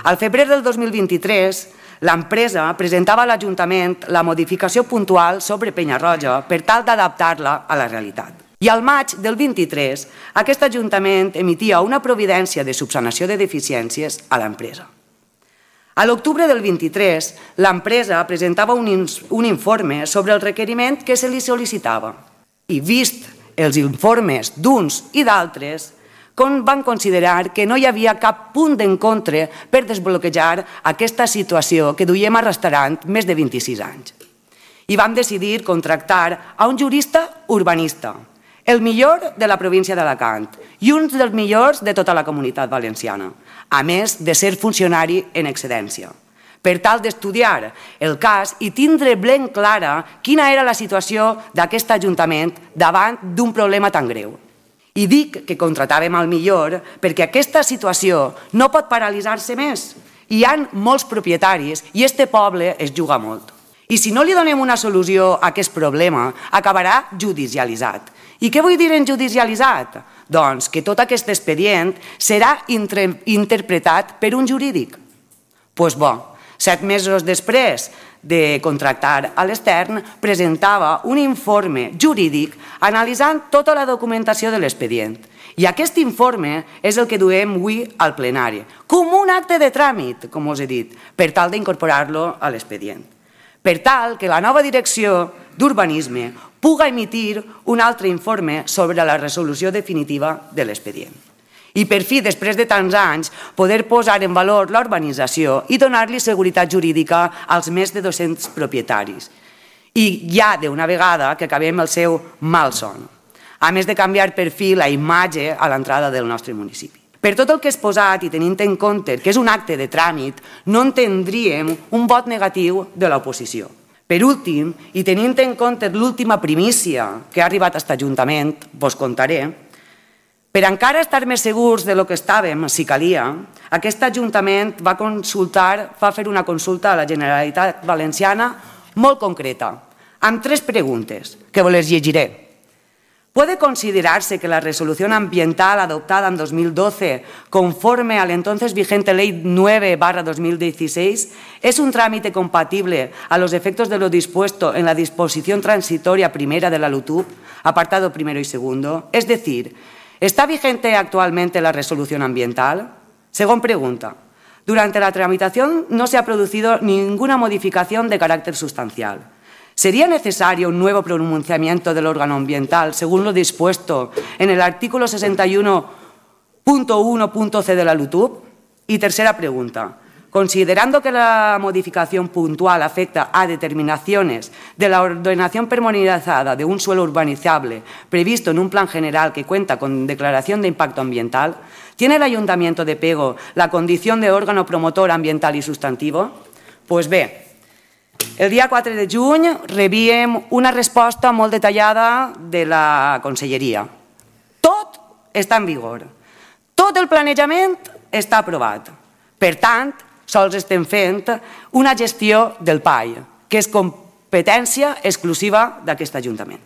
Al febrer del 2023, l'empresa presentava a l'Ajuntament la modificació puntual sobre Penyarroja per tal d'adaptar-la a la realitat. I al maig del 23, aquest Ajuntament emitia una providència de subsanació de deficiències a l'empresa. A l'octubre del 23, l'empresa presentava un informe sobre el requeriment que se li sol·licitava. I vist els informes d'uns i d'altres, van considerar que no hi havia cap punt d'encontre per desbloquejar aquesta situació que duiem arrastrant més de 26 anys. I vam decidir contractar a un jurista urbanista, el millor de la província d'Alacant i un dels millors de tota la comunitat valenciana, a més de ser funcionari en excedència, per tal d'estudiar el cas i tindre ben clara quina era la situació d'aquest Ajuntament davant d'un problema tan greu. I dic que contratàvem el millor perquè aquesta situació no pot paralitzar-se més. Hi ha molts propietaris i este poble es juga molt. I si no li donem una solució a aquest problema, acabarà judicialitzat. I què vull dir en judicialitzat? Doncs que tot aquest expedient serà interpretat per un jurídic. Doncs bo, 7 mesos després de contractar a l'extern, presentava un informe jurídic analitzant tota la documentació de l'expedient. I aquest informe és el que duem avui al plenari, com un acte de tràmit, com us he dit, per tal d'incorporar-lo a l'expedient. Per tal que la nova direcció d'urbanisme puga emitir un altre informe sobre la resolució definitiva de l'expedient. I per fi, després de tants anys, poder posar en valor la urbanització i donar-li seguretat jurídica als més de 200 propietaris. I ja d'una vegada que acabem el seu malson, a més de canviar per fi la imatge a l'entrada del nostre municipi. Per tot el que és posat i tenint en compte que és un acte de tràmit, no entendríem un vot negatiu de l'oposició. Per últim, i tenint en compte l'última primícia que ha arribat a aquest Ajuntament, vos contaré. Per encara estar més segurs del que estàvem, si calia, aquest Ajuntament va fer una consulta a la Generalitat Valenciana molt concreta, amb 3 preguntes, que vos les llegiré. ¿Puede considerarse que la resolución ambiental adoptada en 2012, conforme a la entonces vigente Ley 9/2016, es un trámite compatible a los efectos de lo dispuesto en la disposición transitoria primera de la LUTUP, apartado primero y segundo? Es decir, ¿está vigente actualmente la resolución ambiental? Segunda pregunta. Durante la tramitación no se ha producido ninguna modificación de carácter sustancial. ¿Sería necesario un nuevo pronunciamiento del órgano ambiental según lo dispuesto en el artículo 61.1.c de la LUTUP? Y tercera pregunta. Considerando que la modificación puntual afecta a determinaciones de la ordenación pormenorizada de un suelo urbanizable previsto en un plan general que cuenta con declaración de impacto ambiental, ¿tiene el Ayuntamiento de Pego la condición de órgano promotor ambiental y sustantivo? Pues bé, el dia 4 de juny rebíem una resposta molt detallada de la Conselleria. Tot està en vigor. Tot el planejament està aprovat. Per tant, sols estem fent una gestió del PAI, que és competència exclusiva d'aquest Ajuntament.